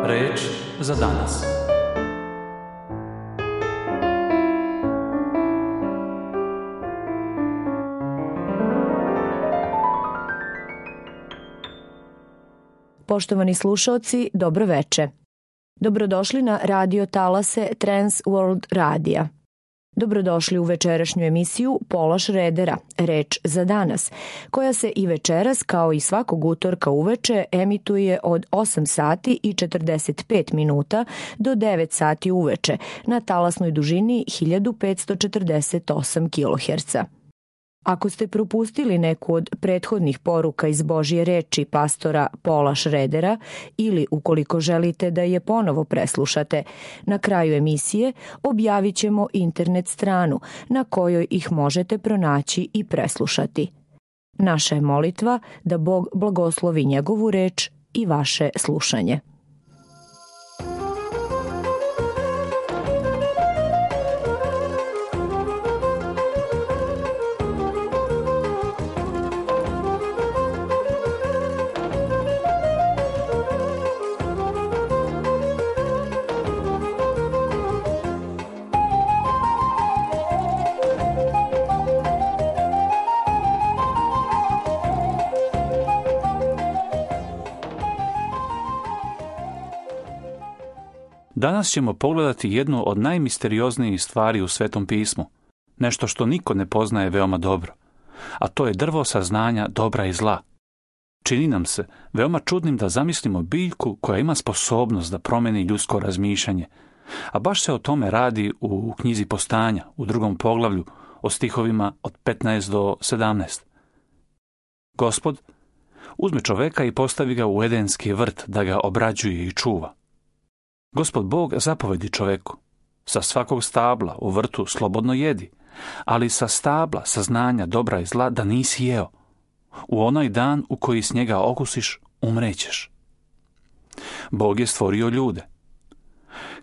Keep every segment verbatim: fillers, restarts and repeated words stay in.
Reč za danas. Poštovani slušaoci, dobro veče. Dobrodošli na radio talase Trans World Radija. Dobrodošli u večerašnju emisiju Pola Šredera, Reč za danas, koja se i večeras, kao i svakog utorka uveče, emituje od osam sati i četrdeset pet minuta do devet sati uveče na talasnoj dužini hiljadu petsto četrdeset osam kiloherca. Ako ste propustili neku od prethodnih poruka iz Božje reči pastora Pola Šredera ili ukoliko želite da je ponovo preslušate, na kraju emisije objavit ćemo internet stranu na kojoj ih možete pronaći i preslušati. Naša je molitva da Bog blagoslovi njegovu reč i vaše slušanje. Danas ćemo pogledati jednu od najmisterioznijih stvari u Svetom pismu, nešto što niko ne poznaje veoma dobro, a to je drvo saznanja dobra i zla. Čini nam se veoma čudnim da zamislimo biljku koja ima sposobnost da promeni ljudsko razmišljanje, a baš se o tome radi u knjizi Postanja, u drugom poglavlju, o stihovima od petnaest do sedamnaest. Gospod uzme čoveka i postavi ga u edenski vrt da ga obrađuje i čuva. Gospod Bog zapovedi čoveku, sa svakog stabla u vrtu slobodno jedi, ali sa stabla saznanja dobra i zla da nisi jeo. U onaj dan u koji s njega okusiš, umrećeš. Bog je stvorio ljude.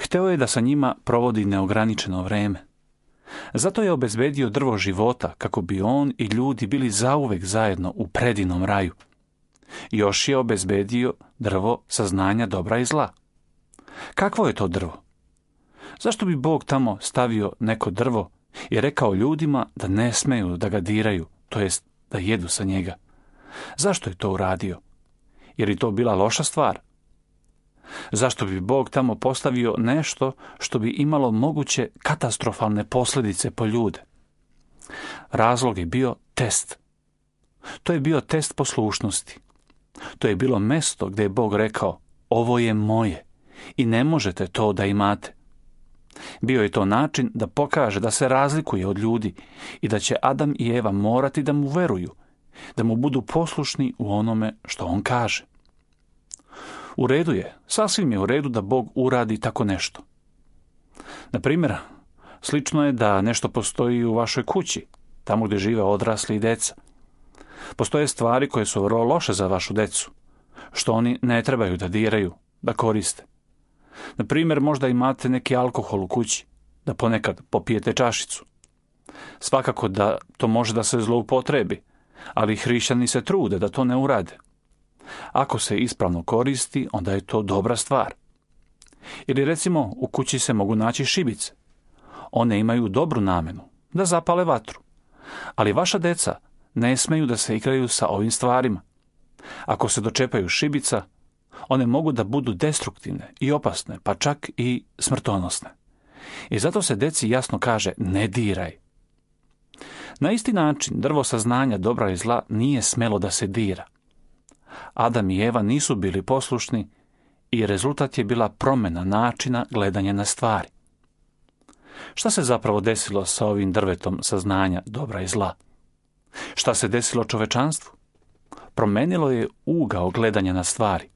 Hteo je da sa njima provodi neograničeno vreme. Zato je obezbedio drvo života kako bi on i ljudi bili zauvek zajedno u predinom raju. Još je obezbedio drvo saznanja dobra i zla. Kakvo je to drvo? Zašto bi Bog tamo stavio neko drvo i rekao ljudima da ne smeju da ga diraju, to jest da jedu sa njega? Zašto je to uradio? Jer je to bila loša stvar? Zašto bi Bog tamo postavio nešto što bi imalo moguće katastrofalne posljedice po ljude? Razlog je bio test. To je bio test poslušnosti. To je bilo mesto gdje je Bog rekao, ovo je moje i ne možete to da imate. Bio je to način da pokaže da se razlikuje od ljudi i da će Adam i Eva morati da mu veruju, da mu budu poslušni u onome što on kaže. U redu je, sasvim je u redu da Bog uradi tako nešto. Na primjer, slično je da nešto postoji u vašoj kući, tamo gdje žive odrasli i deca. Postoje stvari koje su vrlo loše za vašu decu, što oni ne trebaju da diraju, da koriste. Na primjer, možda imate neki alkohol u kući, da ponekad popijete čašicu. Svakako da to može da se zloupotrebi, ali hrišćani se trude da to ne urade. Ako se ispravno koristi, onda je to dobra stvar. Ili recimo, u kući se mogu naći šibice. One imaju dobru namenu, da zapale vatru. Ali vaša deca ne smeju da se igraju sa ovim stvarima. Ako se dočepaju šibica, one mogu da budu destruktivne i opasne, pa čak i smrtonosne. I zato se deci jasno kaže, ne diraj. Na isti način, drvo saznanja dobra i zla nije smelo da se dira. Adam i Eva nisu bili poslušni i rezultat je bila promjena načina gledanja na stvari. Šta se zapravo desilo sa ovim drvetom saznanja dobra i zla? Šta se desilo čovečanstvu? Promenilo je ugao gledanja na stvari.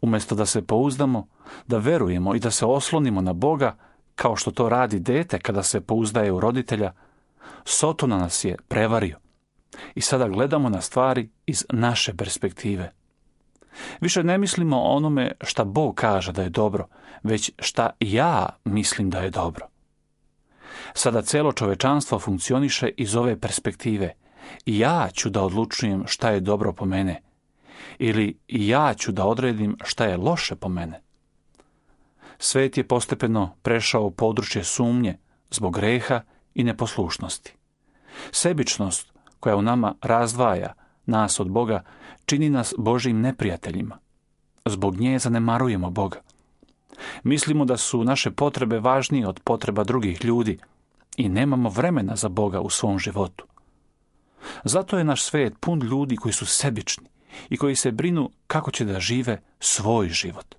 Umjesto da se pouzdamo, da verujemo i da se oslonimo na Boga, kao što to radi dete kada se pouzdaje u roditelja, Sotona nas je prevario. I sada gledamo na stvari iz naše perspektive. Više ne mislimo o onome šta Bog kaže da je dobro, već šta ja mislim da je dobro. Sada celo čovečanstvo funkcioniše iz ove perspektive. I ja ću da odlučujem šta je dobro po mene. ili ja ću da odredim šta je loše po mene. Svet je postepeno prešao u područje sumnje zbog greha i neposlušnosti. Sebičnost koja u nama razdvaja nas od Boga čini nas Božjim neprijateljima. Zbog nje zanemarujemo Boga. Mislimo da su naše potrebe važnije od potreba drugih ljudi i nemamo vremena za Boga u svom životu. Zato je naš svet pun ljudi koji su sebični i koji se brinu kako će da žive svoj život.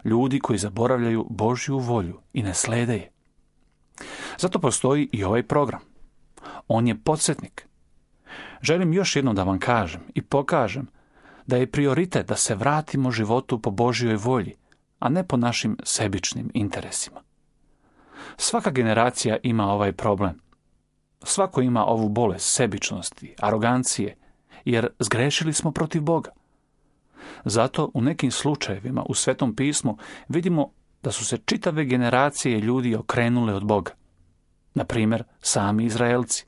Ljudi koji zaboravljaju Božju volju i ne slede je. Zato postoji i ovaj program. On je podsjetnik. Želim još jednom da vam kažem i pokažem da je prioritet da se vratimo životu po Božjoj volji, a ne po našim sebičnim interesima. Svaka generacija ima ovaj problem. Svako ima ovu bolest sebičnosti, arogancije, jer zgrešili smo protiv Boga. Zato u nekim slučajevima u Svetom pismu vidimo da su se čitave generacije ljudi okrenule od Boga. Na primjer, sami Izraelci.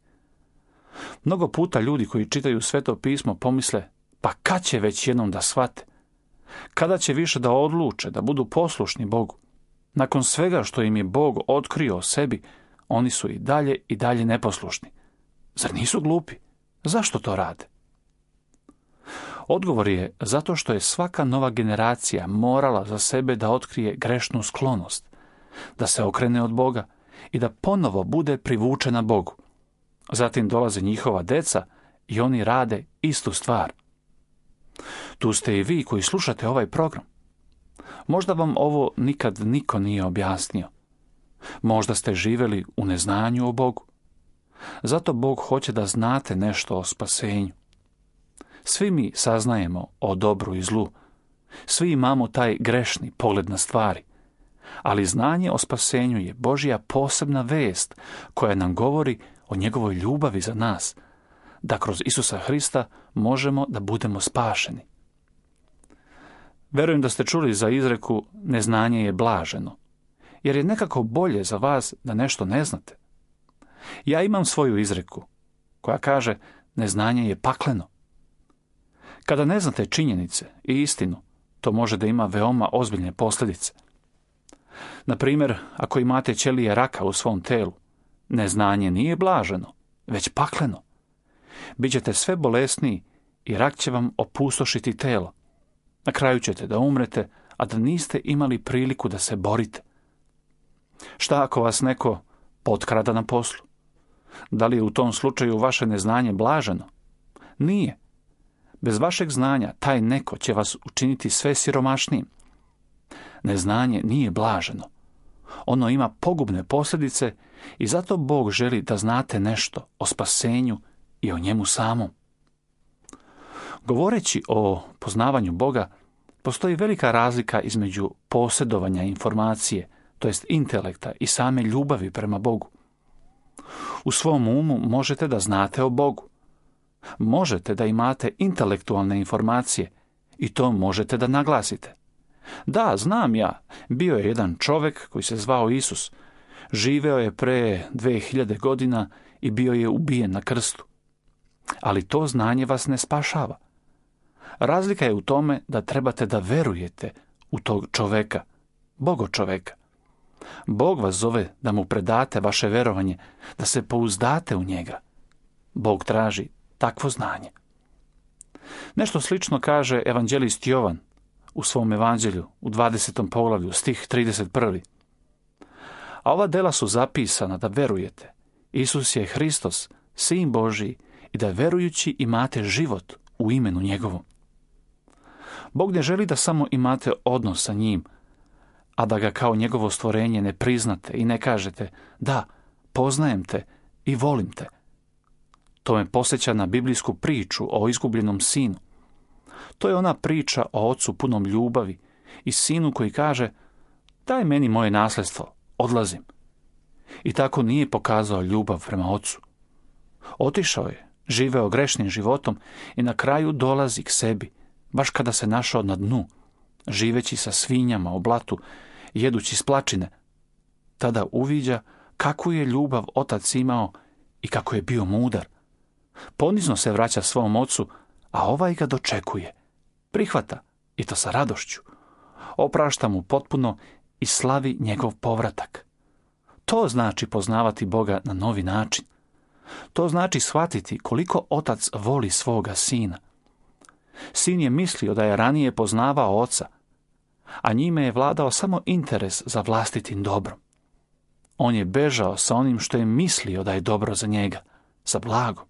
Mnogo puta ljudi koji čitaju Sveto pismo pomisle, pa kad će već jednom da shvate? Kada će više da odluče, da budu poslušni Bogu? Nakon svega što im je Bog otkrio o sebi, oni su i dalje i dalje neposlušni. Zar nisu glupi? Zašto to rade? Odgovor je zato što je svaka nova generacija morala za sebe da otkrije grešnu sklonost, da se okrene od Boga i da ponovo bude privučena Bogu. Zatim dolaze njihova deca i oni rade istu stvar. Tu ste i vi koji slušate ovaj program. Možda vam ovo nikad niko nije objasnio. Možda ste živjeli u neznanju o Bogu. Zato Bog hoće da znate nešto o spasenju. Svi mi saznajemo o dobru i zlu. Svi imamo taj grešni pogled na stvari. Ali znanje o spasenju je Božja posebna vest koja nam govori o njegovoj ljubavi za nas, da kroz Isusa Hrista možemo da budemo spašeni. Verujem da ste čuli za izreku neznanje je blaženo, jer je nekako bolje za vas da nešto ne znate. Ja imam svoju izreku koja kaže neznanje je pakleno. Kada ne znate činjenice i istinu, to može da ima veoma ozbiljne posljedice. Na primjer, ako imate ćelije raka u svom telu, neznanje nije blaženo, već pakleno. Bićete sve bolesniji i rak će vam opustošiti telo. Na kraju ćete da umrete, a da niste imali priliku da se borite. Šta ako vas neko potkrada na poslu? Da li je u tom slučaju vaše neznanje blaženo? Nije. Bez vašeg znanja taj neko će vas učiniti sve siromašnijim. Neznanje nije blaženo. Ono ima pogubne posljedice i zato Bog želi da znate nešto o spasenju i o njemu samom. Govoreći o poznavanju Boga, postoji velika razlika između posjedovanja informacije, to jest intelekta i same ljubavi prema Bogu. U svom umu možete da znate o Bogu. Možete da imate intelektualne informacije i to možete da naglasite. Da, znam ja, bio je jedan čovjek koji se zvao Isus. Živeo je pre dve hiljade godina i bio je ubijen na krstu. Ali to znanje vas ne spašava. Razlika je u tome da trebate da verujete u tog čoveka, Bogo čoveka. Bog vas zove da mu predate vaše verovanje, da se pouzdate u njega. Bog traži takvo znanje. Nešto slično kaže evanđelist Jovan u svom evanđelju u dvadesetom poglavlju, stih trideset prvi. A ova dela su zapisana da verujete. Isus je Hristos, Sin Božiji, i da verujući imate život u imenu njegovom. Bog ne želi da samo imate odnos sa njim, a da ga kao njegovo stvorenje ne priznate i ne kažete da, poznajem te i volim te. To me podsjeća na biblijsku priču o izgubljenom sinu. To je ona priča o ocu punom ljubavi i sinu koji kaže daj meni moje nasljedstvo, odlazim. I tako nije pokazao ljubav prema ocu. Otišao je, živeo grešnim životom i na kraju dolazi k sebi, baš kada se našao na dnu, živeći sa svinjama u blatu, jedući splačine. Tada uviđa kakvu je ljubav otac imao i kako je bio mudar. Ponizno se vraća svom ocu, a ovaj ga dočekuje, Prihvata, i to sa radošću. Oprašta mu potpuno i slavi njegov povratak. To znači poznavati Boga na novi način. To znači shvatiti koliko otac voli svoga sina. Sin je mislio da je ranije poznavao oca, a njime je vladao samo interes za vlastitim dobrom. On je bežao sa onim što je mislio da je dobro za njega, za blagom.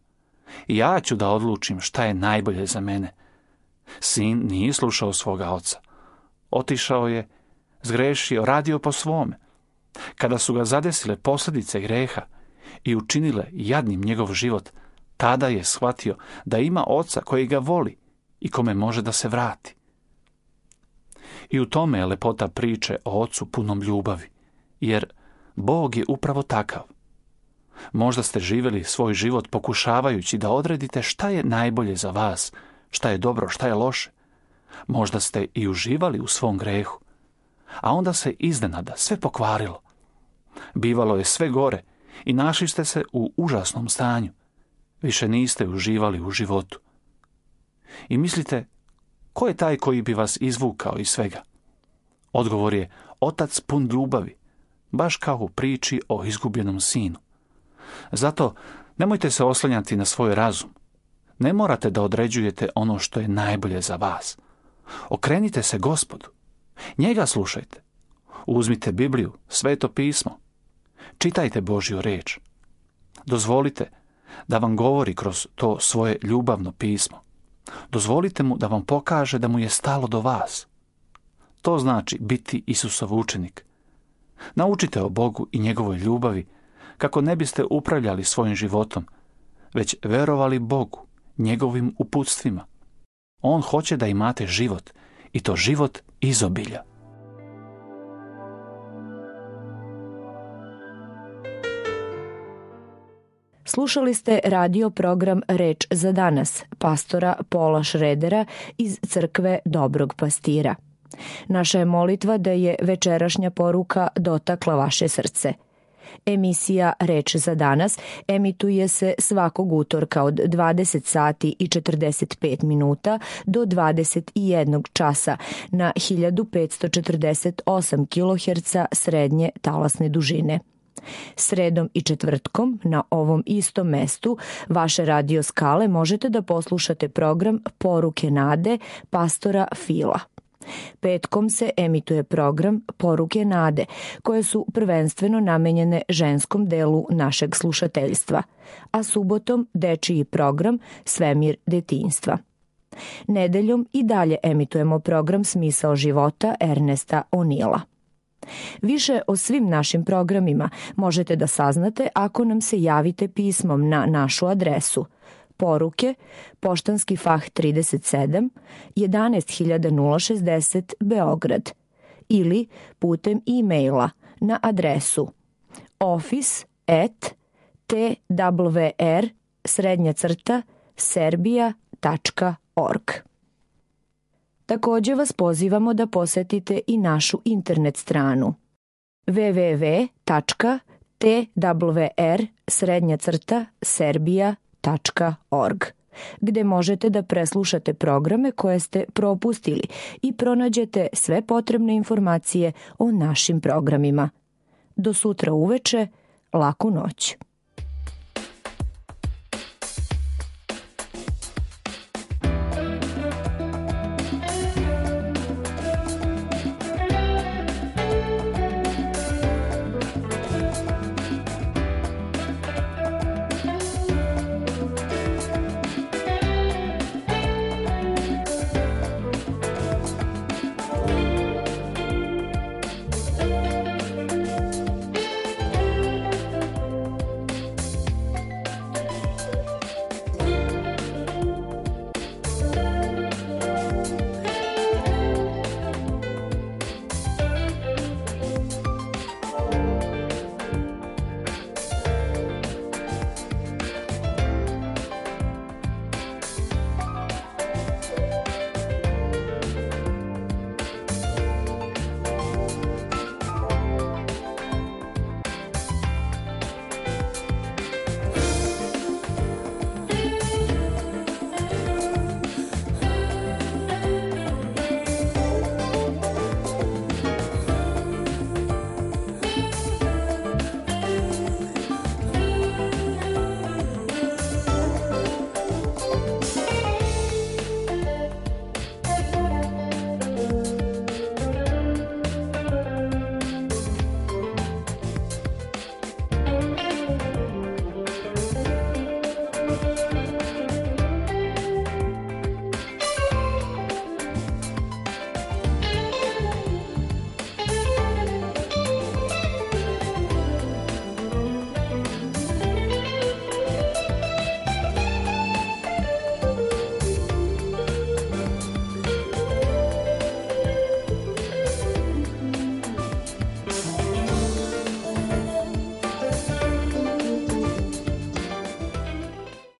I ja ću da odlučim šta je najbolje za mene. Sin nije slušao svoga oca. Otišao je, zgrešio, radio po svome. Kada su ga zadesile posljedice greha i učinile jadnim njegov život, tada je shvatio da ima oca koji ga voli i kome može da se vrati. I u tome je lepota priče o ocu punom ljubavi, jer Bog je upravo takav. Možda ste živjeli svoj život pokušavajući da odredite šta je najbolje za vas, šta je dobro, šta je loše. Možda ste i uživali u svom grehu, a onda se iznenada sve pokvarilo. Bivalo je sve gore i našli ste se u užasnom stanju. Više niste uživali u životu. I mislite, ko je taj koji bi vas izvukao iz svega? Odgovor je otac pun ljubavi, baš kao u priči o izgubljenom sinu. Zato nemojte se oslanjati na svoj razum. Ne morate da određujete ono što je najbolje za vas. Okrenite se Gospodu. Njega slušajte. Uzmite Bibliju, Sveto pismo. Čitajte Božju reč. Dozvolite da vam govori kroz to svoje ljubavno pismo. Dozvolite mu da vam pokaže da mu je stalo do vas. To znači biti Isusov učenik. Naučite o Bogu i njegovoj ljubavi kako ne biste upravljali svojim životom, već verovali Bogu, njegovim uputstvima. On hoće da imate život, i to život izobilja. Slušali ste radio program Reč za danas, pastora Paula Schroedera iz crkve Dobrog pastira. Naša je molitva da je večerašnja poruka dotakla vaše srce. Emisija Reč za danas emituje se svakog utorka od dvadeset sati i četrdeset pet minuta do dvadeset jednog časa na hiljadu petsto četrdeset osam kiloherca srednje talasne dužine. Sredom i četvrtkom na ovom istom mestu vaše radio skale možete da poslušate program Poruke nade pastora Fila. Petkom se emituje program Poruke nade, koje su prvenstveno namenjene ženskom delu našeg slušateljstva, a subotom dečiji program Svemir detinjstva. Nedeljom i dalje emitujemo program Smisao života Ernesta O'Neila. Više o svim našim programima možete da saznate ako nam se javite pismom na našu adresu Poruke, Poštanski fah trideset sedam, jedanaest hiljada šezdeset Beograd, ili putem e-maila na adresu office at t w r srednja crta serbia tačka org. Također vas pozivamo da posetite i našu internet stranu w w w tačka t w r srednja crta serbia tačka org, gde možete da preslušate programe koje ste propustili i pronađete sve potrebne informacije o našim programima. Do sutra uveče, laku noć.